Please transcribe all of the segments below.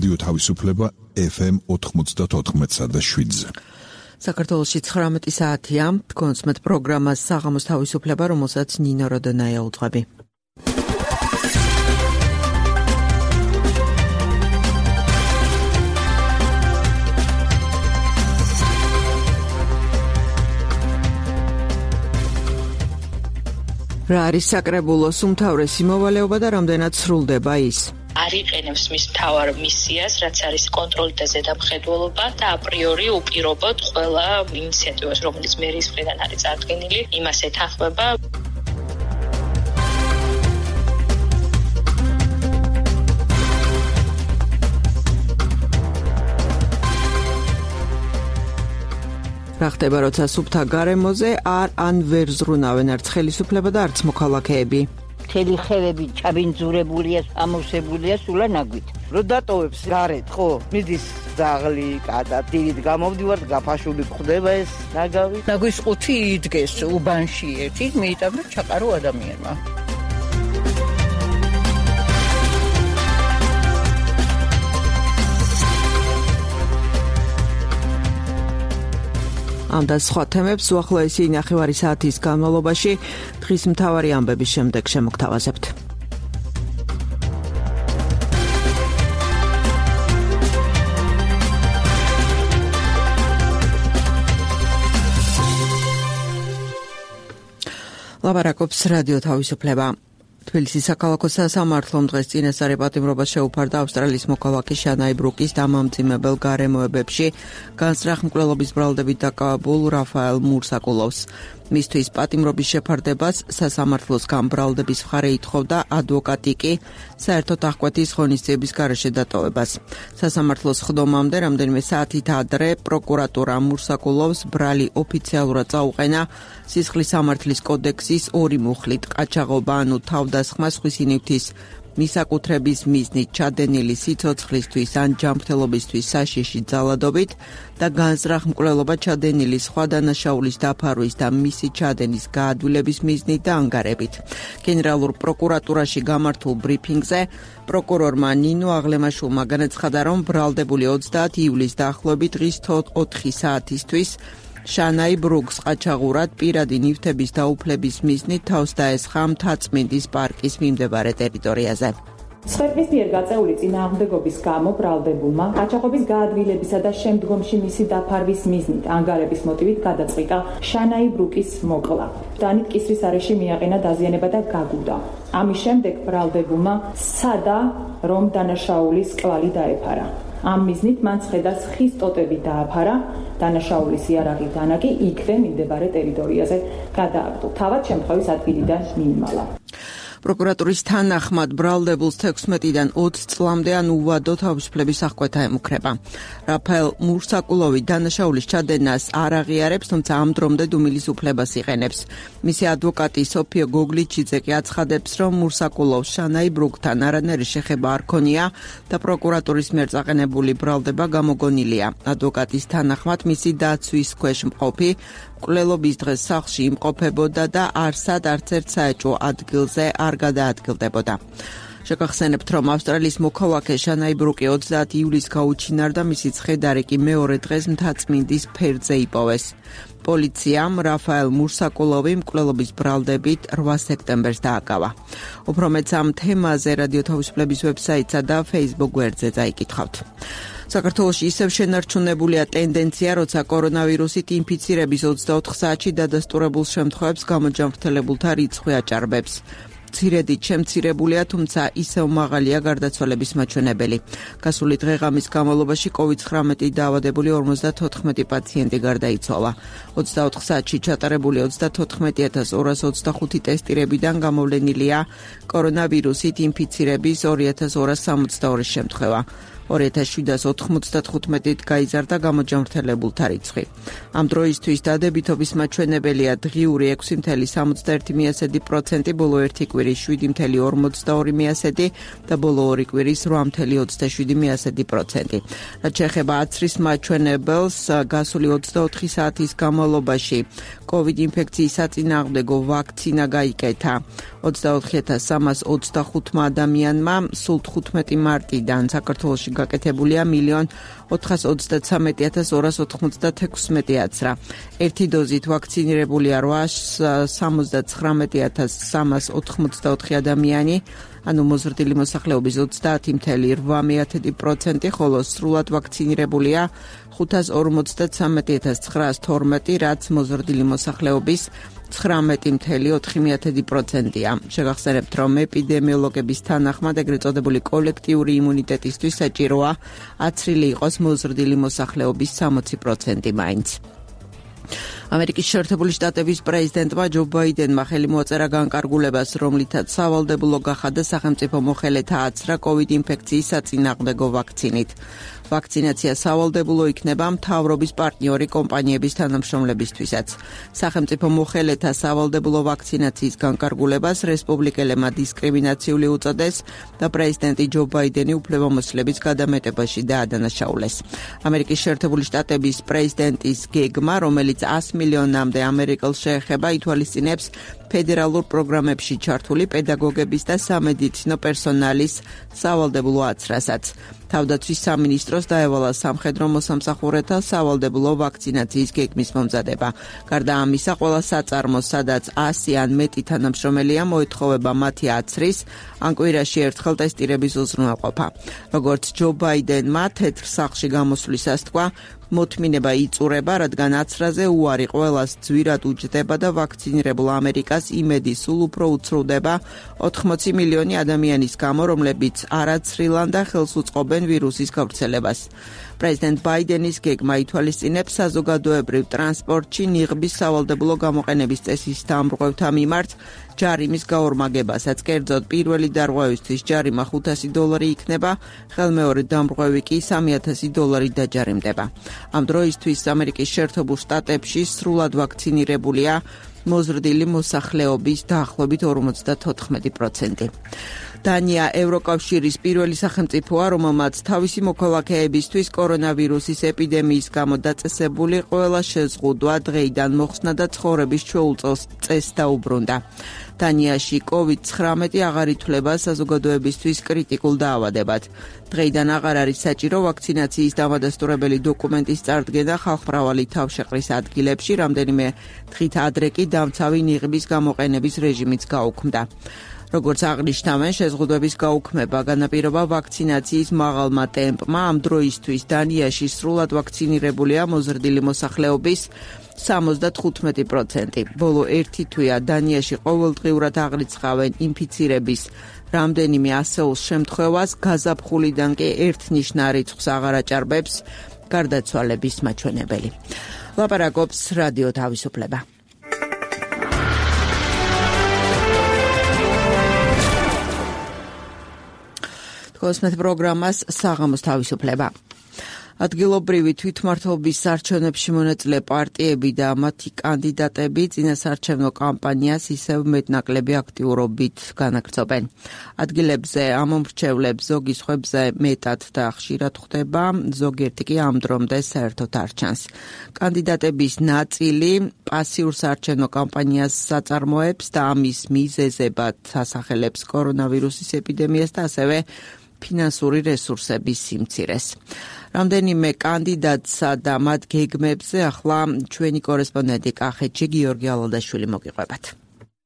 რადიო თავისუფლება FM 94.7-ზე. საქართველოში 19 საათია, კონსმეთ პროგრამას საღამოს თავისუფლება, რომელსაც ნინო როდონაია უძღვები. რა არის საკრებულოს უმთავრესი მოვალეობა და რამდენად სრულდება ის? არ იყენებს მის მთავარ მისიას, რაც არის კონტროლი და ზედამხედველობა და აპრიორი უპირობოდ ყველა ინიციატივას, რომელიც მერის მხრიდან არის წარდგენილი, იმას ეთანხმება. რა ხდება, როცა სუფთა გარემოზე ან ვერ ზრუნავენ არც ხელისუფლება და არც მოქალაქეები? მთელი ხელები ჩაბინძურებულია, ამოვსებულია სულანაგვით. რო დატოვებს გარეთ, ხო, მიდის ძაღლი, კატა, დილით გამოვდივარ, გაფაშული ხდება ეს ნაგავი. ნაგვის ყუთი იდგეს უბანში ერთი, მიიტანდა ჩაყარო ადამიანმა. ამ და სხვა თემებს უახლოესი ნახევარი საათის განმავლობაში დღის მთავარი ამბების შემდეგ შემოგთავაზებთ. ლაპარაკობს რადიო თავისუფლება. თბილისის საქალაქო სასამართლომ დღეს წინასწარი პატიმრობა შეუფარდა ავსტრალიის მოქალაქე შანაი ბრუკის დამამძიმებელ გარემოებებში განსწრახ მკვლელობის ბრალდებით დაკავებულ რაფაელ მურსაკულოვს. მისთვის პატიმრობის შეფარდებას სასამართლოს გამბრალდების მხარე ითხოვდა, ადვოკატი კი საერთოდ აღკვეთის ღონისძიების გარეშე დატოვებას. სასამართლოს ხდომამდე რამდენიმე საათით ადრე პროკურატურა მურსაკულოვს ბრალი ოფიციალურად წაუყენა სისხლის სამართლის კოდექსის 2 მუხლით ყაჩაღობა, ანუ თავდასხმა სხვისი ნივთის მისაკუთრების მიზნით ჩადენილი სიცოცხლისთვის ან ჯანმრთელობისთვის საშიში ძალადობით და განზრახ მკვლელობა ჩადენილი სხვა დანაშაულის დაფარვის და მისი ჩადენის გაადვილების მიზნით და ანგარებით. გენერალურ პროკურატურაში გამართულ ბრიფინგზე პროკურორმა ნინო აღლემაშვილმა განაცხადა, რომ ბრალდებული 30 ივლისს დაახლოებით დღის 4 საათისთვის შანაი ბრუკს ყაჩაღურად პირადი ნივთების დაუფლების მიზნით თავს დაესხა მთაწმინდის პარკის მიმდებარე ტერიტორიაზე. სხვების მიერ გაწეული წინააღმდეგობის გამო ბრალდებულმა ყაჩაღობის გაადვილებისა და შემდგომში მისი დაფარვის მიზნით ანგარების მოტივით გადაწყვიტა შანაი ბრუკის მოკლა. დანით კისრის არეში მიაყენა დაზიანება და გაგუდა. ამის შემდეგ ბრალდებულმა სადა რომ დანაშაულის კვალი დაეფარა. ამ მიზნით მან ცხედას ხის ტოტები დააფარა, დანაშაულის იარაღი დანაკი იქვე მიმდებარე ტერიტორიაზე გადააგდო. თავად შემთხვევის ადგილიდან მიიმალა. პროკურატურის თანახმად ბრალდებულს 16-დან 20 წლამდე ან უვადო თავისუფლების აღკვეთა ემუქრება. რაფაელ მურსაკულოვი დანაშაულის ჩადენას არ აღიარებს, თუმცა ამ დრომდე დუმილის უფლებას იყენებს. მისი ადვოკატი სოფიო გოგლიჩიძე კი აცხადებს, რომ მურსაკულოვს შანაი ბრუკთან არანაირი შეხება არ ქონია და პროკურატურის მიერ წაყენებული ბრალდება გამოგონილია. ადვოკატის თანახმად მისი დაცვის ქვეშ მყოფი მკვლელობის დღეს სახლში იმყოფებოდა და არსად არც ერთ საეჭვო ადგილზე არ გადაადგილდებოდა. შეგახსენებთ, რომ ავსტრალიის მოქალაქე შანაი ბრუკი 30 ივლისს გაუჩინარდა, მისი ცხედარი კი მეორე დღეს მთაწმინდის ფერდზე იპოვეს. პოლიციამ რაფაელ მურსაკულოვი მკვლელობის ბრალდებით 8 სექტემბერს დააკავა. უფრო მეც ამ თემაზე რადიო თავისუფლების ვებსაიტსა და Facebook გვერდზე წაიკითხავთ. საქართველოში ისევ შენარჩუნებულია ტენდენცია, როცა კორონავირუსით ინფიცირების 24 საათში დადასტურებულ შემთხვევებს გამოჯანმრთელებულთა რიცხვი აჭარბებს. მცირედით შემცირებულია, თუმცა ისევ მაღალია გარდაცვალების მაჩვენებელი. გასული დღეღამის განმავლობაში COVID-19 დაავადებული 54 პაციენტი გარდაიცვალა. 24 საათში ჩატარებული 34225 ტესტირებიდან გამოვლენილია კორონავირუსით ინფიცირების 2262 შემთხვევა. 2795-ით გაიზარდა გამოჯანმრთელებულთა რიცხვი. ამ დროისთვის დადებითობის მაჩვენებელია დღიური 6.71%, ბოლო ერთი კვირის 7.42% და ბოლო ორი კვირის 8.27%. რაც შეეხება აცრის მაჩვენებელს, გასული 24 საათის განმავლობაში COVID ინფექციის საწინააღმდეგო ვაქცინა გაიკეთა 24,325 ადამიანმა სულ 15 მარტიდან საქართველოში გაკეთებულია 1,433,296 აცრა. ერთი დოზით ვაქცინირებულია 879,384 ადამიანი, ანუ მოზრდილი მოსახლეობის 30,8%, ხოლო სრულად ვაქცინირებულია 553,912, რაც მოზრდილი მოსახლეობის 19,4%-ია. შეგახსენებთ, რომ ეპიდემიოლოგების თანახმად ეგრეთ წოდებული კოლექტიური იმუნიტეტისთვის საჭიროა აცრილი იყოს მოზრდილი მოსახლეობის 60% მაინც. ამერიკის შეერთებული შტატების პრეზიდენტმა ჯო ბაიდენმა ხელი მოაწერა განკარგულებას, რომლითაც სავალდებულო გახადა სახელმწიფო მოხელეთა აცრა COVID ინფექციის საწინააღმდეგო ვაქცინით. ვაქცინაცია სავალდებულო იქნება მთავრობის პარტნიორი კომპანიების თანამშრომლებისთვისაც. სახელმწიფო მოხელეთა სავალდებულო ვაქცინაციის განკარგულებას რესპუბლიკელებმა დისკრიმინაციული უწოდეს და პრეზიდენტი ჯო ბაიდენი უფლებამოსილების გადამეტებაში დაადანაშაულეს. ამერიკის შეერთებული შტატების პრეზიდენტის გეგმა, რომელიც 100 მილიონამდე ამერიკელს შეეხება, ითვალისწინებს ფედერალურ პროგრამებში ჩართული პედაგოგების და სამედიცინო პერსონალის სავალდებულო აცრასაც. თავდაცვის სამინისტროს დაევალა სამხედრო მოსამსახურეთა სავალდებულო ვაქცინაციის გეგმის მომზადება. გარდა ამისა, ყველა საწარმოს, სადაც 100 ან მეტი თანამშრომელია, მოეთხოვება მათი აცრის ან კვირაში ერთხელ ტესტირების უზრუნველყოფა. როგორც ჯო ბაიდენმა თეთრ სახლში გამოსვლისას თქვა, მოთმინება იწურება, რადგან აცრაზე უარი ყველას ძვირად უჯდება და ვაქცინირებულ ამერიკას იმედი სულ უფრო უცრუდება 80 მილიონი ადამიანის გამო, რომლებიც არ აცრილან და ხელს უწყობენ ვირუსის გავრცელებას. პრეზიდენტ ბაიდენის გეგმა ითვალისწინებს საზოგადოებრივ ტრანსპორტში ნიღბის სავალდებულო გამოყენების წესის დამრღვევთა მიმართ ჯარიმის გაორმაგებასაც. კერძოდ, პირველი დარღვევისთვის ჯარიმა $500 იქნება, ხელმეორე დამრღვევი კი $3,000 დაჯარიმდება. ამ დროისთვის ამერიკის შეერთებულ შტატებში სრულად ვაქცინირებულია მოზრდილი მოსახლეობის დაახლოებით 54%. დანია ევროკავშირის პირველი სახელმწიფოა, რომელმაც თავისი მოქალაქეებისთვის კორონავირუსის ეპიდემიის გამო დაწესებული ყველა შეზღუდვა დღეიდან მოხსნა და ცხოვრების ჩვეულ წესს დაუბრუნდა. დანიაში COVID-19 აღარ ითვლება საზოგადოებისთვის კრიტიკულ დაავადებად. დღეიდან აღარ არის საჭირო ვაქცინაციის დამადასტურებელი დოკუმენტის წარდგენა ხალხმრავალი თავშეყრის ადგილებში, რამდენიმე დღით ადრე კი დამცავი ნიღბის გამოყენების რეჟიმიც გაუქმდა. როგორც აღნიშნავენ, შეზღუდვების გაუქმება განაპირობა ვაქცინაციის მაღალმა ტემპმა. ამ დროისთვის დანიაში სრულად ვაქცინირებულია მოზრდილი მოსახლეობის 75%. ბოლო ერთი თვეა დანიაში ყოველდღიურად აღრიცხავენ ინფიცირების რამდენიმე ასეულს შემთხვევას, გაზაფხულიდან კი ერთნიშნა რიცხვს აღარ აჭარბებს გარდაცვალების მაჩვენებელი. ლაპარაკობს რადიო თავისუფლება. კოსმეთ პროგრამას საღამოს თავისუფლება. ადგილობრივი თვითმმართველობის არჩევნებში მონაწილე პარტიები და მათი კანდიდატები წინასარჩევნო კამპანიას ისევ მეტნაკლები აქტიურობით განაგრძობენ. ადგილებზე ამომრჩევლებს ზოგი სხვებზე მეტად და ხშირად ხვდება, ზოგიერთი კი ამ დრომდე საერთოდ არ ჩანს. კანდიდატების ნაწილი პასიურ საარჩევნო კამპანიას საწარმოებს და ამის მიზეზებად ასახელებს კორონავირუსის ეპიდემიას და ასევე ფინანსური რესურსების სიმცირეს. რამდენიმე კანდიდატსა და მათ გეგმებზე ახლა ჩვენი კორესპონდენტი კახეთში გიორგი ალადაშვილი მოგიყვებათ.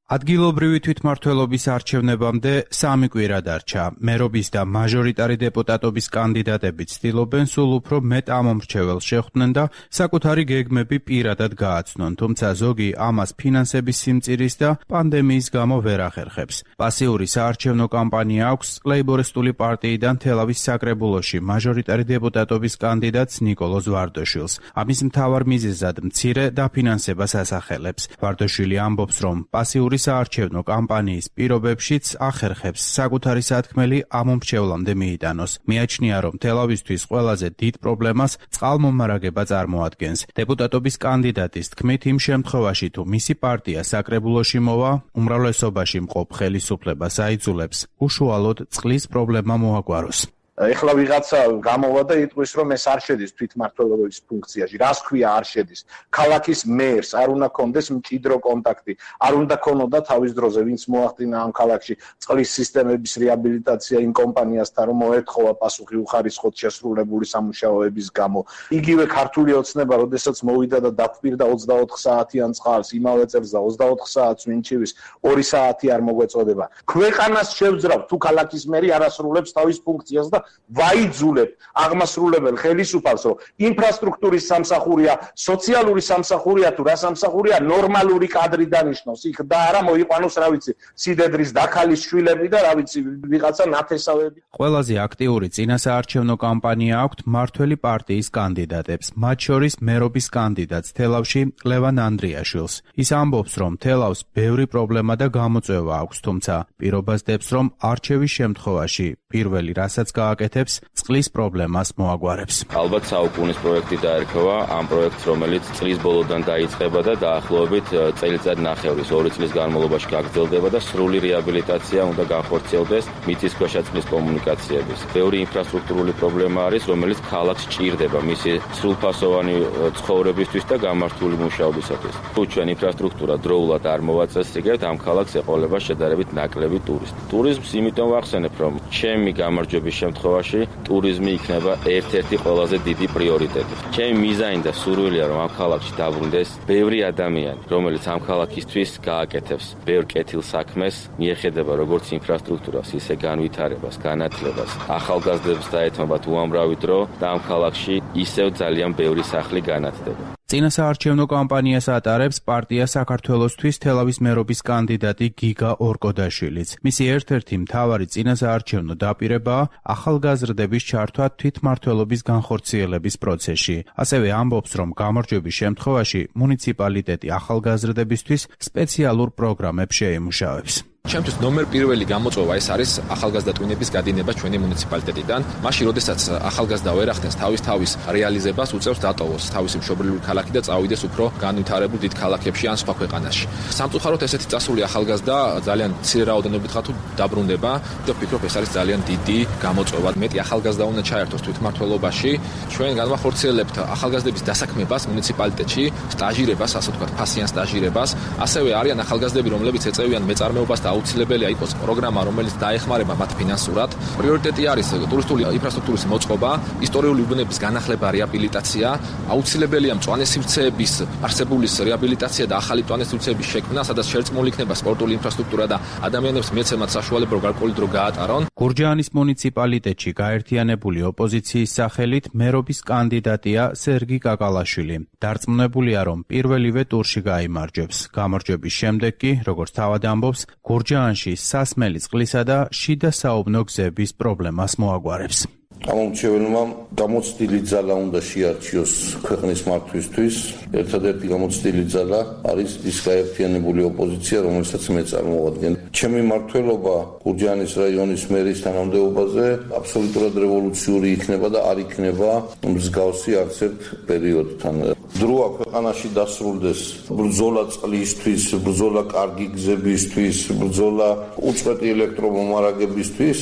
ადგილობრივი თვითმმართველობის არჩევნებამდე 3 კვირა დარჩა. მერობის და მაჟორიტარი დეპუტატობის კანდიდატები ცდილობენ სულ უფრო მეტ ამომრჩეველს შეხვდნენ და საკუთარი გეგმები პირადად გააცნონ, თუმცა ზოგი ამას ფინანსების სიმწირის და პანდემიის გამო ვერ ახერხებს. პასიური საარჩევნო კამპანია აქვს ლეიბორისტული პარტიიდან თელავის საკრებულოში მაჟორიტარი დეპუტატობის კანდიდატს ნიკოლოზ ვარდოშვილს. ამის მთავარ მიზეზად მცირე დაფინანსებას ასახელებს. ვარდოშვილი ამბობს, რომ პასიური საარჩევნო კამპანიის პირობებშიც ახერხებს საკუთარი სათქმელი ამომრჩევლამდე მიიტანოს. მიაჩნია, რომ თელავისთვის ყველაზე დიდ პრობლემას წყალმომარაგება წარმოადგენს. დეპუტატობის კანდიდატის თქმით, იმ შემთხვევაში თუ მისი პარტია საკრებულოში მოვა, უმრავლესობაში მყოფ ხელისუფლებას აიძულებს უშუალოდ წყლის პრობლემა მოაგვაროს. ეხლა ვიღაცა გამოვა და იტყვის, რომ ეს არ შედის თვითმმართველობის ფუნქციაში. რას ქვია არ შედის? ქალაქის მერს არ უნდა კონდეს მჭიდრო კონტაქტი, არ უნდა ქონოდა თავის დროზე ვინც მოახდინა ამ ქალაქში წყლის სისტემების რეაბილიტაცია იმ კომპანიასთან, რომ მოეთხოვა პასუხი უხარისხოდ შესრულებული სამუშაოების გამო. იგივე ქართული ოცნება, როდესაც მოვიდა და დაფპირდა 24 საათიან წყალს, იმავე წელს და 24 საათს ვინჩივის 2 საათი არ მოგვეწოდება. ქვეყანას შევძრავ თუ ქალაქის მერი არ ასრულებს თავის ფუნქციას და ვაიძულებ აღმასრულებელ ხელისუფალს, რომ ინფრასტრუქტურის სამსახურია, სოციალური სამსახურია თუ რა სამსახურია, ნორმალური კადრი დანიშნოს იქ და არა მოიყვანოს, რა ვიცი, სიდედრის დაქალის შვილები და რა ვიცი, ვიღაცა ნათესავები. ყველაზე აქტიური წინასაარჩევნო კამპანია აქვთ მმართველი პარტიის კანდიდატებს, მათ შორის მერობის კანდიდატს თელავში ლევან ანდრიაშვილს. ის ამბობს, რომ თელავს ბევრი პრობლემა და გამოწვევა აქვს, თუმცა პირობას დებს, რომ არჩევის შემთხვევაში პირველი რასაც გააკეთებს, წყლის პრობლემას მოაგვარებს. ალბათ საუკუნის პროექტი დაერქვა, ამ პროექტს, რომელიც წლის ბოლოდან დაიწყება და დაახლოებით წელიწად ნახევრის 2 წლის განმავლობაში გაგრძელდება და სრული რეაბილიტაცია უნდა განხორციელდეს მიწისქვეშა წყლის კომუნიკაციების. ბევრი ინფრასტრუქტურული პრობლემა არის, რომელიც ქალაქს ჭირდება მისი სრულფასოვანი ცხოვრებისთვის და გამართული მუშაობისათვის. თუ ჩვენ ინფრასტრუქტურა დროულად არ მოვაწესრიგებთ, ამ ქალაქს ეყოლება შედარებით ნაკლები ტურისტი. ტურიზმს იმიტომ ვახსენებ, რომ ჩემი გამარჯვების შემთხვევაში ტურიზმი იქნება ერთ-ერთი ყველაზე დიდი პრიორიტეტი. ჩემი მიზანი და სურვილია, რომ ამ ქალაქში დაბრუნდეს ბევრი ადამიანი, რომელიც ამ ქალაქისთვის გააკეთებს ბევრ კეთილ საქმეს, მიეხედება როგორც ინფრასტრუქტურას, ისე განვითარებას, განათლებას, ახალგაზრდებს დაეთმობათ უამრავი დრო და ამ ქალაქში ისევ ძალიან ბევრი სახლი განათდება. წინასაარჩევნო კამპანიას ატარებს პარტია საქართველოსთვის თელავის მერობის კანდიდატი გიგა ორკოდაშვილიც. მისი ერთ-ერთი მთავარი წინასაარჩევნო დაპირებაა ახალგაზრდების ჩართვა თვითმმართველობის განხორციელების პროცესში. ასევე ამბობს, რომ გამარჯვების შემთხვევაში მუნიციპალიტეტი ახალგაზრდებისთვის სპეციალურ პროგრამებს შეიმუშავებს. ჩემთვის ნომერ პირველი გამოწვევა ეს არის ახალგაზრდა ტვინების გადინება ჩვენი მუნიციპალიტეტიდან. მაშინ, როდესაც ახალგაზრდა ვერ ახდენს თავის რეალიზებას, უწევს დატოვოს თავისი მშობლიური ქალაქი და წავიდეს უფრო განვითარებულ დიდ ქალაქებში ან სხვა ქვეყანაში. სამწუხაროდ ესეთი წასული ახალგაზრდა ძალიან მცირე რაოდენობით ხა თუ დაბრუნდება და ვფიქრობ, ეს არის ძალიან დიდი გამოწვევა. მეტი ახალგაზრდა უნდა ჩაერთოს თვითმმართველობაში. ჩვენ განვახორციელებთ ახალგაზრდების დასაქმებას მუნიციპალიტეტში, სტაჟირებას, ასე ვთქვათ, ფასიან სტაჟირებას. ასევე არიან ახალგაზრდები, რომლებიც ეწევიან მეწარმეობას და აუცილებელია იყოს პროგრამა, რომელიც დაეხმარება მათ ფინანსურად. პრიორიტეტი არის ტურისტული ინფრასტრუქტურის მოწყობა, ისტორიული უბნების განახლება, რეაბილიტაცია, აუცილებელია მწვანე სივრცეების არსებულის რეაბილიტაცია და ახალი მწვანე სივრცეების შექმნა, სადაც შერწყმული იქნება სპორტული ინფრასტრუქტურა და ადამიანებს მიეცემათ საშუალება, რომ გარკვეული დრო გაატარონ. გურჯაანის მუნიციპალიტეტში გაერთიანებული ოპოზიციის სახელით მერობის კანდიდატია სერგი კაკალაშვილი. დარწმუნებულია, რომ პირველივე ტურში გაიმარჯვებს. გამარჯვების შემდეგ კი, როგორც თავად ამბობს, გურჯაანში სასმელი წყლისა და შიდა საუბნო გზების პრობლემას მოაგვარებს. გამომრჩეველმა გამოცდილი ძალა უნდა შეარჩიოს ქვეყნის მართვისთვის. ერთადერთი გამოცდილი ძალა არის ის გაერთიანებული ოპოზიცია, რომელსაც მე წარმოვადგენ. ჩემი მმართველობა გურჯაანის რაიონის მერის თანამდებობაზე აბსოლუტურად რევოლუციური იქნება და არ იქნება მსგავსი არც ერთ პერიოდთან. დროა ქვეყანაში დასრულდეს ბრძოლა წყლისთვის, ბრძოლა კარგი გზებისთვის, ბრძოლა უწყვეტი ელექტრომომარაგებისთვის.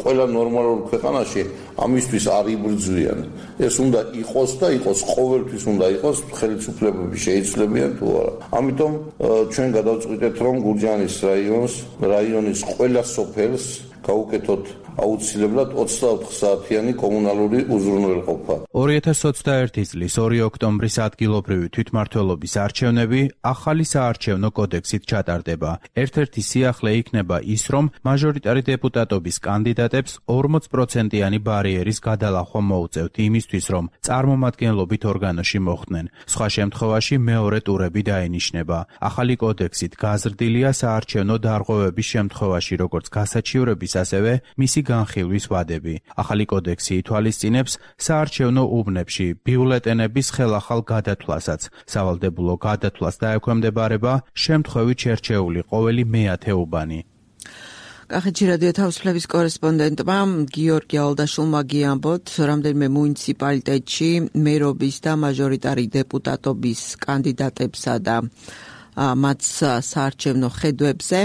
ყველა ნორმალურ ქვეყანაში ამისთვის არ იბრძვიან. ეს უნდა იყოს და იყოს ყოველთვის უნდა იყოს, ხელისუფლებები შეიცვლებიან თუ არა. ამიტომ ჩვენ გადავწყვიტეთ, რომ გურჯაანის რაიონის ყველა სოფელს გავუკეთოთ აუცილებლად 24 საათიანი კომუნალური უზრუნველყოფა. 2021 წლის 2 ოქტომბრის ადგილობრივი თვითმმართველობის არჩევნები ახალი საარჩევნო კოდექსით ჩატარდება. ერთ-ერთი სიახლე იქნება ის, რომ მაჟორიტარი დეპუტატობის კანდიდატებს 40%-იანი ბარიერის გადალახვა მოუწევთ იმისთვის, რომ წარმომადგენლობით ორგანოში მოხვდნენ. სხვა შემთხვევაში მეორე ტურები დაინიშნება. ახალი კოდექსით გაზრდილია საარჩევნო დარღვევების შემთხვევაში, როგორც გასაჩივრების, ასევე მისი განხილვის ვადები. ახალი კოდექსი ითვალისწინებს საარჩევნო უბნებში ბიულეტენების ხელახალ გადათვლასაც. სავალდებულო გადათვლას დაექვემდებარება შემთხვევით შერჩეული ყოველი მეათე უბანი. კახეთში რადიო თავისუფლების კორესპონდენტმა გიორგი ალდაშულმა გიამბოთ, რამდენიმე მუნიციპალიტეტში მერობის და მაჟორიტარი დეპუტატობის კანდიდატებსა და მათ საარჩევნო ხედვებზე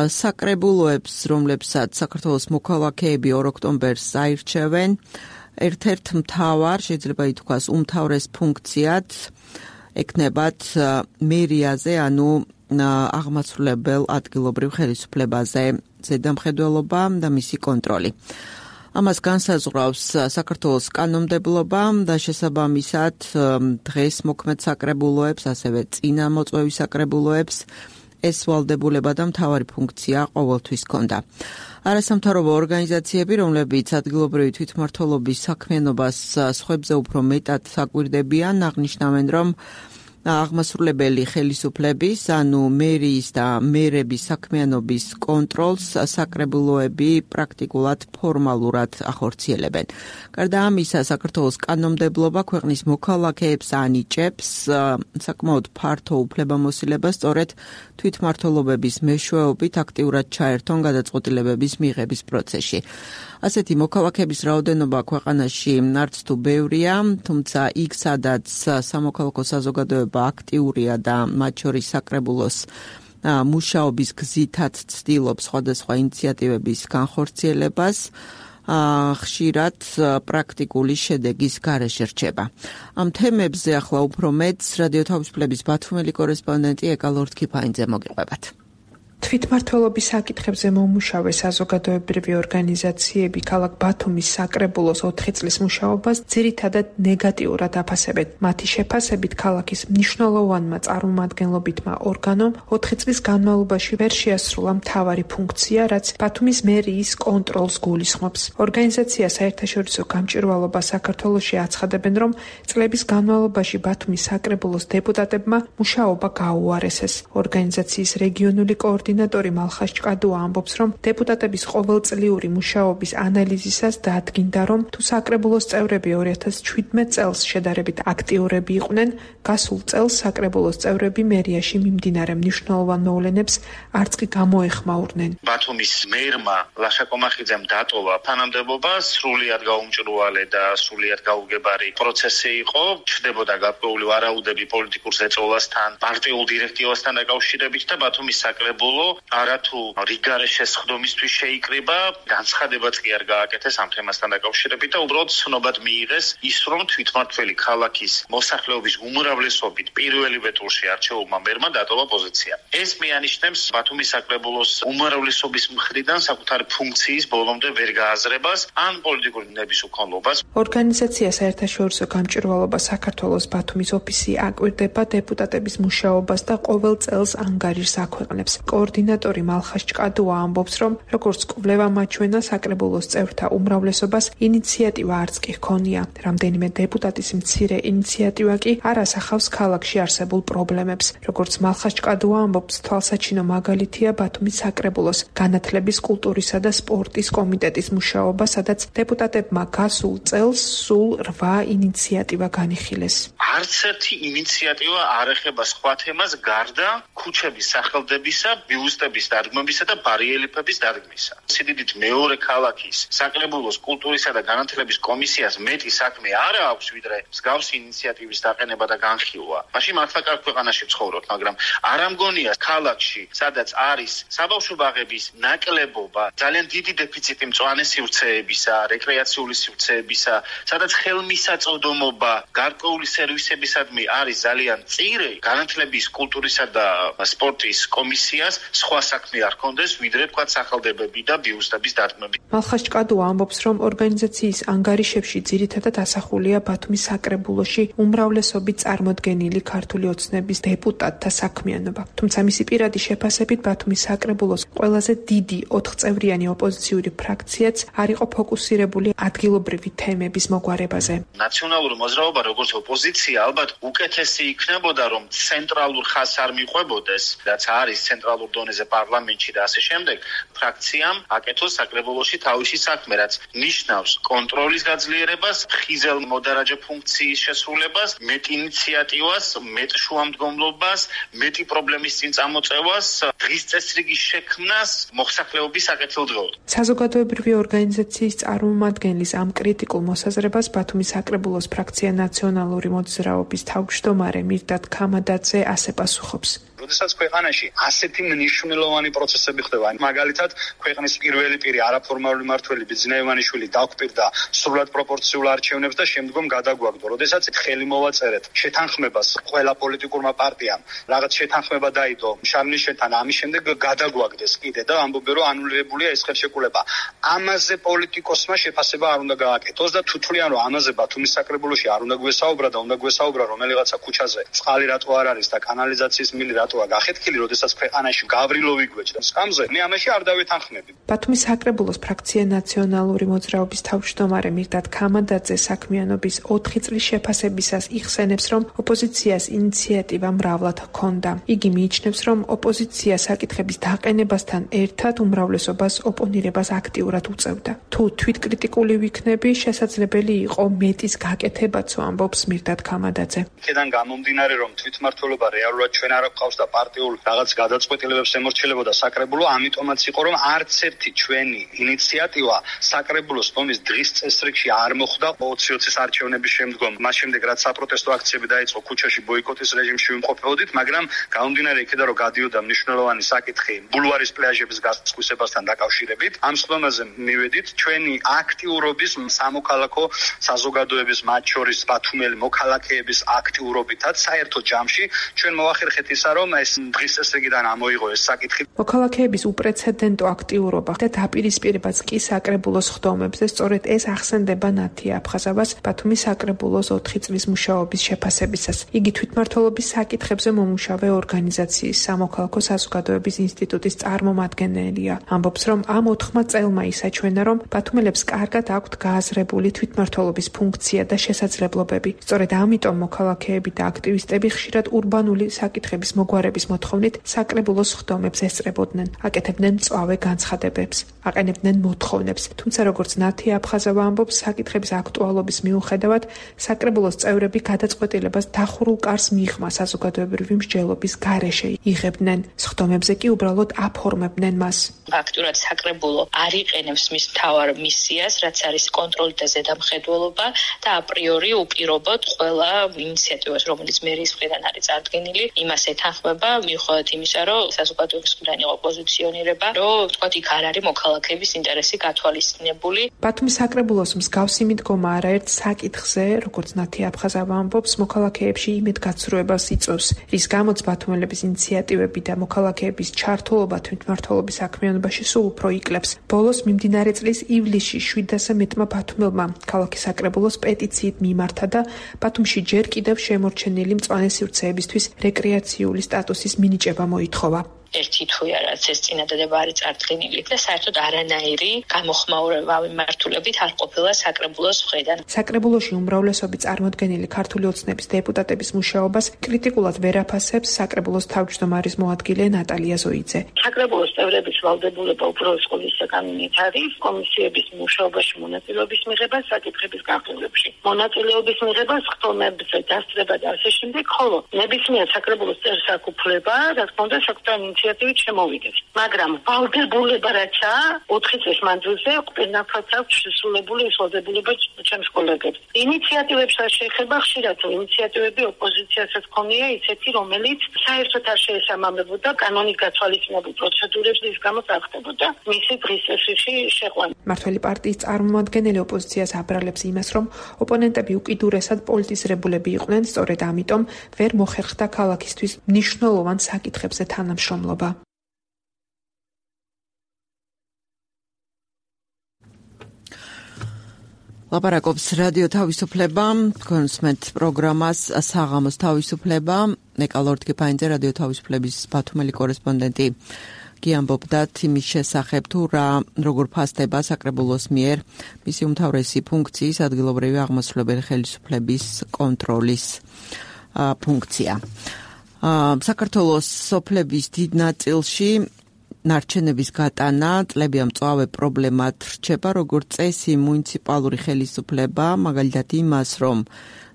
საკრებულოებს, რომლებსაც საქართველოს მოქალაქეები 2 ოქტომბერს აირჩევენ, ერთ-ერთ მთავარ, შეიძლება ითქვას, უმთავრეს ფუნქციად ეკნებათ მერიაზე, ანუ აღმასრულებელ ადგილობრივ ხელისუფლებაზე ზედამხედველობა და მისი კონტროლი. ამას განსაზღვრავს საქართველოს კანონმდებლობა და შესაბამისად დღეს მოქმედ საკრებულოებს, ასევე წინამოწვევის საკრებულოებს ეს ვალდებულება და მთავარი ფუნქცია ყოველთვის ჰქონდა. არასამთავრობო ორგანიზაციები, რომლებიც ადგილობრივი თვითმმართველობის საქმიანობას სხვებზე უფრო მეტად საკვირდებიან, აღნიშნავენ, რომ აღმასრულებელი ხელისუფლების, ანუ მერიის და მერების საქმიანობის კონტროლს საკრებულოები პრაქტიკულად ფორმალურად ახორციელებენ. გარდა ამისა, საქართველოს კანონმდებლობა ქვეყნის მოქალაქეებს ანიჭებს საკმაოდ ფართო უფლებამოსილებას სწორედ თვითმმართველობების მეშვეობით აქტიურად ჩაერთონ გადაწყვეტილებების მიღების პროცესში. ასეთი მოქალაქეების რაოდენობა ქვეყანაში არც თუ ბევრია, თუმცა იქ, სადაც სამოქალაქო საზოგადოება აქტიურია და მათ შორის საკრებულოს მუშაობის გზითაც ცდილობს სხვადასხვა ინიციატივების განხორციელებას, ხშირად პრაქტიკული შედეგის გარეშე რჩება. ამ თემებზე ახლა უფრო მეტს რადიო თავისუფლების ბათუმელი კორესპონდენტი ეკა ლორთქიფაინძე მოგიყვებათ. თვითმმართველობის საკითხებზე მომუშავე საზოგადოებრივი ორგანიზაციები ქალაქ ბათუმის საკრებულოს 4 წლის მუშაობას ძირითადად ნეგატიურად აფასებენ. მათი შეფასებით ქალაქის მნიშვნელოვანმა წარმომადგენლობითმა ორგანომ 4 წლის განმავლობაში ვერ შეასრულა მთავარი ფუნქცია, რაც ბათუმის მერიის კონტროლს გულისხმობს. ორგანიზაცია საერთაშორისო გამჭვირვალობა საქართველოში აცხადებენ, რომ წლების განმავლობაში ბათუმის საკრებულოს დეპუტატებმა მუშაობა გაუარესეს. ორგანიზაციის რეგიონული კოორდინატორი მალხას ჭკადუა ამბობს, რომ დეპუტატების ყოველწლიური მუშაობის ანალიზისას დაადგინდა, რომ თუ საკრებულოს წევრები 2017 წელს შედარებით აქტიურები იყვნენ, გასულ წელს საკრებულოს წევრები მერიაში მიმდინარე მნიშვნელოვან მოვლენებს არც კი გამოეხმაურნენ. ბათუმის მერმა ლაშა კომახიძემ დატოვა თანამდებობა, სრულიად გაუმჭრუალე და სრულიად გაუგებარი პროცესი იყო, ჩნდებოდა გარკვეული ვარაუდები პოლიტიკურ ზეწოლასთან, პარტიულ დირექტივასთან დაკავშირებით და ბათუმის საკრებულო არათუ რიგარე შესხდომისთვის შეიკრიბა, განცხადებაც კი არ გააკეთეს ამ თემასთან დაკავშირებით და უბრალოდ ცნობად მიიღეს ის, რომ თვითმმართველი ქალაქის მოსახლეობის უმრავლესობით პირველივე ტურში არჩეულმა მერმა დატოვა პოზიცია. ეს მიანიშნებს ბათუმის საკრებულოს უმრავლესობის მხრიდან საკუთარი ფუნქციის ბოლომდე ვერ გააზრებას ან პოლიტიკური ნების უქონლობას. ორგანიზაცია საერთაშორისო გამჭვირვალობა საქართველოს ბათუმის ოფისი აკვირდება დეპუტატების მუშაობას და ყოველ წელს ანგარიშს აქვეყნებს. კოორდინატორი მალხას ჭკადუა ამბობს, რომ როგორც კვლევა მაჩვენა, საკრებულოს წევრთა უმრავლესობას ინიციატივა არც კი ჰქონია. რამდენიმე დეპუტატის მცირე ინიციატივა კი არ ასახავს ქალაქში არსებულ პრობლემებს. როგორც მალხას ჭკადუა ამბობს, თვალსაჩინო მაგალითია ბათუმის საკრებულოს განათლების, კულტურისა და სპორტის კომიტეტის მუშაობა, სადაც დეპუტატებმა გასულ წელს სულ 8 ინიციატივა განიხილეს. არც ერთი ინიციატივა არ ეხება სხვა თემას გარდა ქუჩების სახელდებისა, ბიუსტების დადგმებისა და ბარელიეფების დადგმისა. სიდიდით მეორე ქალაქის საკრებულოს კულტურისა და განათლების კომისიას მეტი საქმე არ აქვს, ვიდრე მსგავსი ინიციატივის დაყენება და განხილვა. მაშინ მართლა კარგ ქვეყანაში ვცხოვრობთ, მაგრამ არ ამგონია ქალაქში, სადაც არის საბავშვო ბაღების ნაკლებობა, ძალიან დიდი დეფიციტი მწვანე სივრცეებისა, რეკრეაციული სივრცეებისა, სადაც ხელმისაწვდომობა გარკვეული სერვისებისადმი არის ძალიან მწირი, განათლების, კულტურისა და სპორტის კომისიას სხვა საქმე არ ჰქონდეს, ვიდრე თქვა სახელდებები და ბიუსტების დადგმები. მალხას ჭკადუა ამბობს, რომ ორგანიზაციის ანგარიშებში ძირითადად ასახულია ბათუმის საკრებულოში უმრავლესობით წარმოდგენილი ქართული ოცნების დეპუტატთა საქმიანობა. თუმცა მისი პირადი შეფასებით ბათუმის საკრებულოს ყველაზე დიდი 4 წევრიანი ოპოზიციური ფრაქციაც არ იყო ფოკუსირებული ადგილობრივი თემების მოგვარებაზე. ნაციონალური მოძრაობა როგორც ოპოზიცია ალბათ უკეთესი იქნებოდა, რომ ცენტრალურ ხაზს არ მიყვებოდეს, რაც არის ცენტრალურ დონეზე პარლამენტში და ასე შემდეგ, ფრაქციამ აკეთოს საკრებულოში თავისი საქმე, რაც ნიშნავს კონტროლის გაძლიერებას, ხიზელ მოდარაჯე ფუნქციის შესრულებას, მეტ ინიციატივას, მეტ შუამდგომლობას, მეტი პრობლემის წინ წამოწევას, დღის წესრიგის შექმნას, მოსახლეობის საკეთილდღეოდ. საზოგადოებრივი ორგანიზაციის წარმომადგენლის ამ კრიტიკულ მოსაზრებას ბათუმის საკრებულოს ფრაქცია ნაციონალური მოძრაობის თავმჯდომარე მირდად ქამადაძე ასე პასუხობს. როდესაც ქვეყანაში ასეთი მნიშვნელოვანი პროცესები ხდება, მაგალითად, ქვეყნის პირველი პირი არაფორმალური მმართველი ბიძინა ივანიშვილი დაგვპირდა სრულად პროპორციულ არჩევნებს და შემდგომ გადაგვაგდო. როდესაც ხელი მოვაწერეთ შეთანხმებას ყველა პოლიტიკურმა პარტიამ, რაღაც შეთანხმება დაიდო შარლიშენთან, ამის შემდეგ გადაგვაგდეს კიდე და ამბობენ, რომ ანულირებულია ეს ხელშეკრულება. ამაზე პოლიტიკოსმა შეფასება არ უნდა გააკეთოს და თუ თვლიან, რომ ამაზე ბათუმის საკრებულოში არ უნდა გვესაუბრა და უნდა გვესაუბრა რომელიღაცა ქუჩაზე წყალი რატო არ არის და კანალიზაციის მილი რატოა გახეთქილი, როდესაც ქვეყანაში გავრილოვი გვეჭდა სკამზე, მე ამაში არ დავეთანხმები. ბათუმის საკრებულოს ფრაქცია ნაციონალური მოძრაობის თავმჯდომარე მირდად ქამანდაძე საქმიანობის 4 წლის შეფასებისას იხსენებს, რომ ოპოზიციას ინიციატივა მრავლად ჰქონდა. იგი მიიჩნევს, რომ ოპოზიცია საკითხების დაყენებასთან ერთად უმრავლესობას ოპონირებას აქტიურად უწევდა. თუ თვითკრიტიკული ვიქნები, შესაძლებელი იყო მეტის გაკეთებაც, ამბობს მირდად ქამანდაძე. იქედან გამომდინარე, რომ თვითმმართველობა რეალურად ჩვენ არ გვყავს და პარტიულ რაღაც გადაწყვეტილებებს ემორჩილებოდა საკრებულო, ამიტომაც იყო, რომ არც ერთი ჩვენი ინიციატივა საკრებულოს ტომის დღის წესრიგში არ მოხვდა 20-20 არჩევნების შემდგომ. მას შემდეგ რაც საპროტესტო აქციები დაიწყო, ქუჩაში ბოიკოტის რეჟიმში ვიმყოფებოდით, მაგრამ გამომდინარე იქედან, რომ გადიოდა მნიშვნელოვანი საკითხი ბულვარის პლაჟების გასხვისებასთან დაკავშირებით, ამ სხდომაზე მივედით ჩვენი აქტიურობის სამოქალაქო საზოგადოების, მათ შორის ბათუმელი მოქალაქეების აქტიურობითაც საერთო ჯამში ჩვენ მოვახერხეთ ისა, რომ ეს დღის წესრიგიდან ამოიღო ეს საკითხი. მოქალაქეების უპრეცედენტო აქტიურობა და დაპირისპირებაც კი საკრებულოს ხდომებზე, სწორედ ეს ახსენდება ნათია აფხაზავას ბათუმის საკრებულოს 4 წლის მუშაობის შეფასებისას. იგი თვითმმართველობის საკითხებზე მომუშავე ორგანიზაციის სამოქალაქო საზოგადოების ინსტიტუტის წარმომადგენელია. ამბობს, რომ ამ 4 წელმა ისაჩვენა, რომ ბათუმელებს კარგად აქვთ გააზრებული თვითმმართველობის ფუნქცია და შესაძლებლობები. სწორედ ამიტომ მოქალაქეები და აქტივისტები ხშირად ურბანული საკითხების მოგვარების მოთხოვნით საკრებულოს ხდომებს ესწრებოდნენ, აკეთებდნენ მწვავე განცხადებებს, აყენებდნენ მოთხოვნებს. თუმცა როგორც ნათია აფხაზავა ამბობს, საკითხების აქტუალობის მიუხედავად საკრებულოს წევრები გადაწყვეტილებას დახურულ კარს მიღმა საზოგადოებრივი მსჯელობის გარეშე იღებდნენ. სხდომებზე კი უბრალოდ აფორმებდნენ მას. აქტიურად საკრებულო არ იყენებს მის მთავარ მისიას, რაც არის კონტროლი და ზედამხედველობა და აპრიორი უპირობოდ ყველა ინიციატივას, რომელიც მერის მხრიდან არის წარდგენილი, იმას ეთანხმება, მიუხედავად იმისა, რომ საზოგადოების მხრიდან იყო პოზიციონირება, რომ თქვათ იქ არ არის მოქალაქეების ინტერესი გათვალისწინებული. ბათუმის საკრებულოს მსგავსი მიდგომა არაერთ საკითხზე, როგორც ნათია აფხაზავა ამბობს, მოქალაქეებში იმედგაცრუებას იწვევს, რის გამოც ბათუმელების ინიციატივები და მოქალაქეების ჩართულობა თვითმმართველობის საქმიანობაში სულ უფრო იკლებს. ბოლოს მიმდინარე წლის ივლისში 700 მეტმა ბათუმელმა ქალაქის საკრებულოს პეტიციით მიმართა და ბათუმში ჯერ კიდევ შემორჩენილი მწვანე სივრცეებისთვის რეკრეაციული სტატუსის მინიჭება მოითხოვა. ერთი თუ არა ეს წინადადება არის წარდგენილი და საერთოდ არანაირი გამოხმაურება მიმართულებით არ ყოფილა საკრებულოს მხრიდან. საკრებულოში უმრავლესობი წარმოდგენილი ქართული ოცნების დეპუტატების მუშაობას კრიტიკულად ვერ აფასებს საკრებულოს თავმჯდომარის მოადგილე ნატალია ზოიძე. საკრებულოს წევრების ვალდებულება უბრალოდ ყოველისა კანონით არის კომისიების მუშაობაში მონაწილეობის მიღება საკითხების განხილვებში. მონაწილეობის მიღება სხდომებზე დასწრება და ასე შემდეგ, ხოლო ნებისმიერ საკრებულოს წევრს აქვს უფლება, რა თქმა უნდა, საკუთარი ინიციატივით შემოვიდეს. მაგრამ ვალდებულება რაცა 4 წლის მანძილზე ყველაფერს აქვს შესრულებული ეს ვალდებულება ჩემს კოლეგებს. ინიციატივებს არ შეეხება ხშირად ინიციატივები ოპოზიციასაც ქონია ისეთი, რომელიც საერთოდ არ შეესაბამებოდა კანონით გათვალისწინებულ პროცედურებს, რის გამოც არ ხდებოდა მისი დღის წესრიგში შეყვანა. მართველი პარტიის წარმომადგენელი ოპოზიციას აბრალებს იმას, რომ ოპონენტები უკიდურესად პოლიტიზირებულები იყვნენ, სწორედ ამიტომ ვერ მოხერხდა ქალაქისთვის მნიშვნელოვან საკითხებზე თანამშრომლობა. ლაპარაკობს რადიო თავისუფლება, კონსმეთ პროგრამას საღამოს თავისუფლება, ნეკალორდკიფაინძე რადიო თავისუფლების ბათუმელი კორესპონდენტი გიამბობდათ იმის შესახებ თუ როგორ ფასდება საკრებულოს მიერ მისი უმთავრესი ფუნქციის ადგილობრივი აღმასრულებელი ხელისუფლების კონტროლის ფუნქცია. საქართველოს სოფლების დიდ ნაწილში ნარჩენების გატანა წლებია მწვავე პრობლემად რჩება, როგორც წესი მუნიციპალური ხელისუფლება, მაგალითად იმას, რომ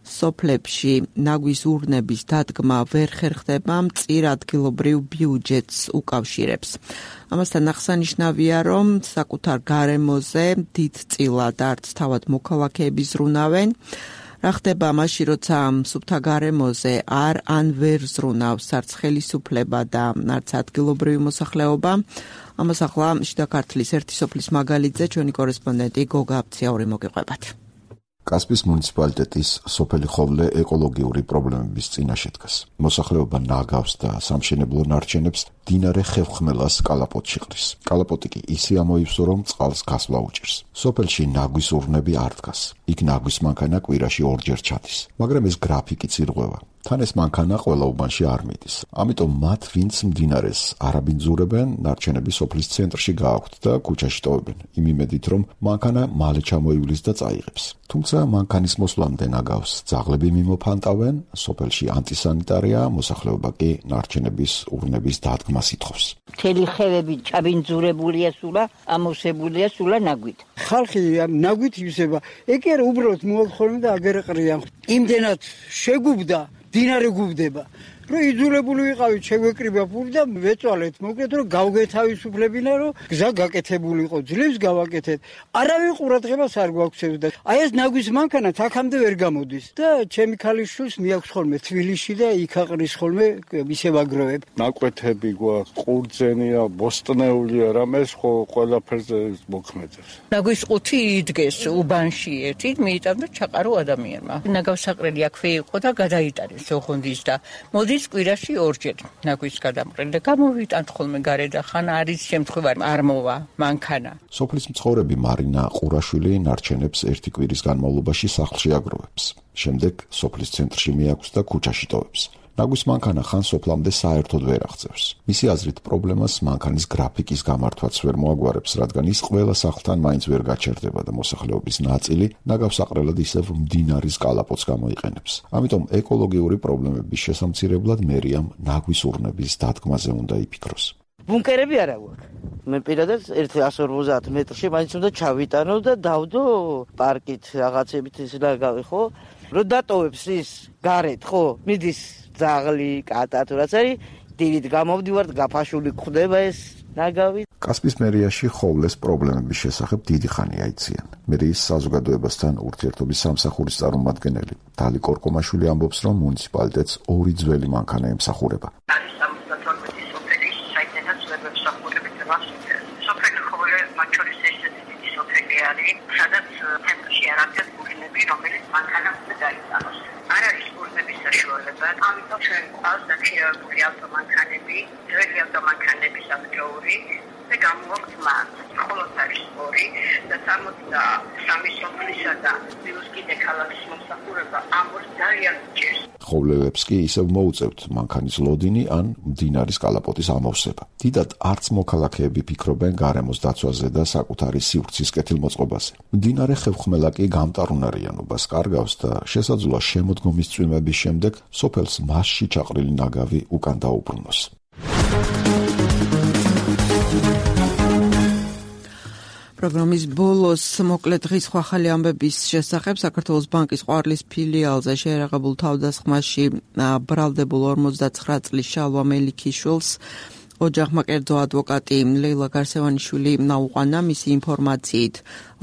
სოფლებში ნაგვის ურნების დადგმა ვერ ხერხდება, მწირ ადგილობრივ ბიუჯეტს უკავშირებს. ამასთან აღსანიშნავია, რომ საკუთარ გარემოზე დიდწილად არც თავად მოქალაქეები ზრუნავენ, რა ხდება მაშინ, როცა სუფთა გარემოზე ან ვერ ზრუნავს არც ხელისუფლება და არც ადგილობრივი მოსახლეობა? ამას ახლა შიდა ქართლის ერთი სოფლის მაგალითზე ჩვენი კორესპონდენტი გოგა აფციაური მოგიყვებათ. კასპის მუნიციპალიტეტის სოფელი ხოვლე ეკოლოგიური პრობლემების წინაშე დგას. მოსახლეობა ნაგავს და სამშენებლო ნარჩენებს მდინარე ხევხმელას კალაპოტში ყრის. კალაპოტი კი ისე ამოივსო, რომ წყალს გასვლა უჭირს. სოფელში ნაგვის ურნები არ დგას. იქ ნაგვის მანქანა კვირაში ორჯერ ჩადის. მაგრამ ეს გრაფიკიც ირღვევა. თან ეს მანქანა ყველა უბანში არ მიდის. ამიტომ მათ, ვინც მდინარეს არ აბინძურებენ, ნარჩენები სოფლის ცენტრში გააქვთ და ქუჩაში ტოვებენ, იმ იმედით, რომ მანქანა მალე ჩამოივლის და წაიღებს. თუმცა მანქანის მოსვლამდე ნაგავს ძაღლები მიმოფანტავენ, სოფელში ანტისანიტარია, მოსახლეობა კი ნარჩენების ურნების დადგმას ითხოვს. მთელი ხევები ჩაბინძურებულია სულა, ამოვსებულია სულა ნაგვით. ხალხი ნაგვით ივსება. ეგ არა უბრალოდ მოახხოვენ და აგერ ყრიან. იმდენად შეგუბდა დინარე გუბდება. რომ იძულებული ვიყავით შეგვეკრიბა ფული და ვეწვალეთ, მოკლედ რომ გავგეთავისუფლებინა, რომ გზა გაკეთებული იყო, ძლივს გავაკეთეთ. არავინ ყურადღებას არ გვაქცევს და აი ეს ნაგვის მანქანა აქამდე ვერ გამოდის და ჩემი ქალიშვილს მიაქვს ხოლმე თბილისში და იქ აყრის ხოლმე ისევ აგროვებ. ნაკვეთები გვაქვს, ყურძენია, ბოსტნეულია, რამეს ხო ყველაფერზე მოქმედებს. ნაგვის ყუთი იდგეს უბანში ერთი, მიიტანდა ჩაყარო ადამიანმა. ნაგავსაყრელი აქვე იყო და გადაიტანეს ოხონდის და მოდი კვირაში ორჯერ ნაგვის გადამყრელი და გამოვიტანთ ხოლმე გარეთ ხან არის შემთხვევა არ მოვა მანქანა. სოფლის მცხოვრები მარინა ყურაშვილი ნარჩენებს ერთი კვირის განმავლობაში სახლში აგროვებს. შემდეგ სოფლის ცენტრში მიაქვს და ქუჩაში ტოვებს. ნაგვის მანქანა ხან სოფლამდე საერთოდ ვერ აღწევს. მისი აზრით პრობლემას მანქანის გრაფიკის გამართვაც ვერ მოაგვარებს, რადგან ის ყველა სახლთან მაინც ვერ გაჩერდება და მოსახლეობის ნაწილი ნაგავსაყრელად ისევ მდინარის კალაპოტს გამოიყენებს. ამიტომ ეკოლოგიური პრობლემების შესამცირებლად მერიამ ნაგვის ურნების დადგმაზე უნდა იფიქროს. ბუნკერები არა გვაქვს. მე პირადად 150 მეტრში მაინც უნდა ჩავიტანო და დავდო პარკით რაღაცებით ისე გავიხო. რო დატოვებს ის გარეთ, ხო? მიდის ძაღლი, კატა თუ რაც არის, დილით გამოვდივართ, გაფაშული გვხდება ეს ნაგავი. კასპის მერიაში ხოვლეს პრობლემების შესახებ დიდი ხანია იციან. მერიის საზოგადოებასთან ურთიერთობის სამსახურის წარმომადგენელი დალი კორკომაშვილი ამბობს, რომ მუნიციპალიტეტს ორი ძველი მანქანა ემსახურება. სადაც ცენტრში არაფერს გულნები, რომელიც მანქანა უნდა დაიტანოს. არ არის გულნების საშუალება, ამიტომ ჩვენ ყავს დაქირავებული ავტომანქანები, ძველი ავტომანქანების აქტიური და გამოვაქვთ მათ. მხოლოდ არის ორი და 63 სოფლისა და პლუს კიდე ქალაქის მომსახურება ამორ ძალიან ჭირს. ხოვლევებს კი ისევ მოუწევთ მანქანის ლოდინი ან მდინარის კალაპოტის ამოვსება. დიდად არც მოქალაქეები ფიქრობენ გარემოს დაცვაზე და საკუთარი სივრცის კეთილმოწყობაზე. მდინარე ხევხმელა კი გამტარუნარიანობას კარგავს და შესაძლოა შემოდგომის წვიმების შემდეგ სოფელს მასში ჩაყრილი ნაგავი უკან დაუბრუნოს. პროგრამის ბოლოს მოკლედ დღის ხალხი ამბების შესახებ საქართველოს ბანკის ყვარლის ფილიალზე შეერაღებულ თავდასხმაში ბრალდებულ 59 წლის შალვა მელიქიშვილს ოჯახმა კერძო ადვოკატი ლეილა გარსევანიშვილი ნაუყანა. მისი ინფორმაციით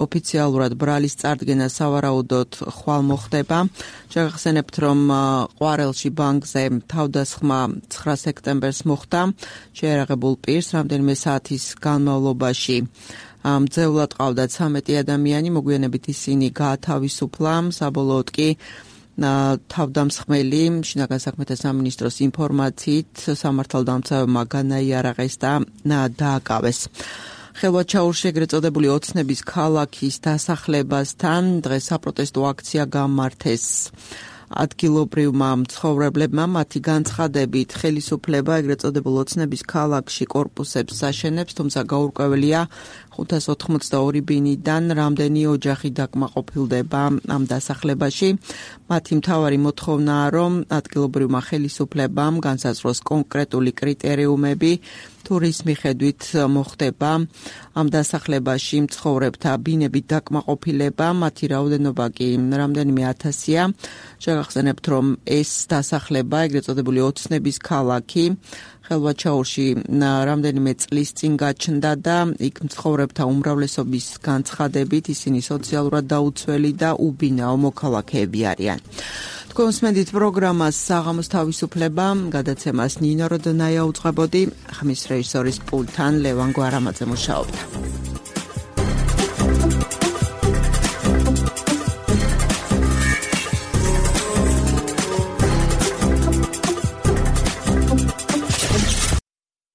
ოფიციალურად ბრალის წარდგენა სავარაუდოდ ხვალ მოხდება. შეგახსენებთ, რომ ყვარელში ბანკზე თავდასხმა 9 სექტემბერს მოხდა. შეერაღებულ პირს რამდენიმე საათის განმავლობაში მძევლად ყავდათ 13 ადამიანი, მოგვიანებით ისინი გაათავისუფლა. საბოლოოდ კი თავდამსხმელი შინაგან საქმეთა სამინისტროს ინფორმაციით სამართალდამცავებმა განაიარაღეს და დააკავეს. ხელვაჩაურში ეგრეთ წოდებული ოცნების ქალაქის დასახლებასთან დღეს საპროტესტო აქცია გამართეს. ადგილობრივმა მცხოვრებლებმა მათი განცხადებით ხელისუფლება ეგრეთ წოდებულ ოცნების ქალაქში კორპუსებს აშენებს, თუმცა გაურკვეველია 582 ბინიდან რამდენი ოჯახი დაკმაყოფილდება ამ დასახლებაში. მათი მთავარი მოთხოვნაა, რომ ადგილობრივმა ხელისუფლებამ განსაზღვროს კონკრეტული კრიტერიუმები თურის მიხედვით მოხდება ამ დასახლებაში მცხოვრებთა ბინებით დაკმაყოფილება, მათი რაოდენობა კი რამდენიმე ათასია. შეგახსენებთ, რომ ეს დასახლება, ეგრეთ წოდებული ოცნების ქალაქი, ხელვაჩაურში რამდენიმე წლის წინ გაჩნდა და იქ მცხოვრებთა უმრავლესობის განცხადებით ისინი სოციალურად დაუცველი და უბინაო მოქალაქეები არიან. თქვენ უსმენთ პროგრამას საღამოს თავისუფლება, გადაცემას ნინო როდონაია უძღვებოდი, ხმის რეჟისორის პულტთან ლევან გვარამაძე მუშაობდა.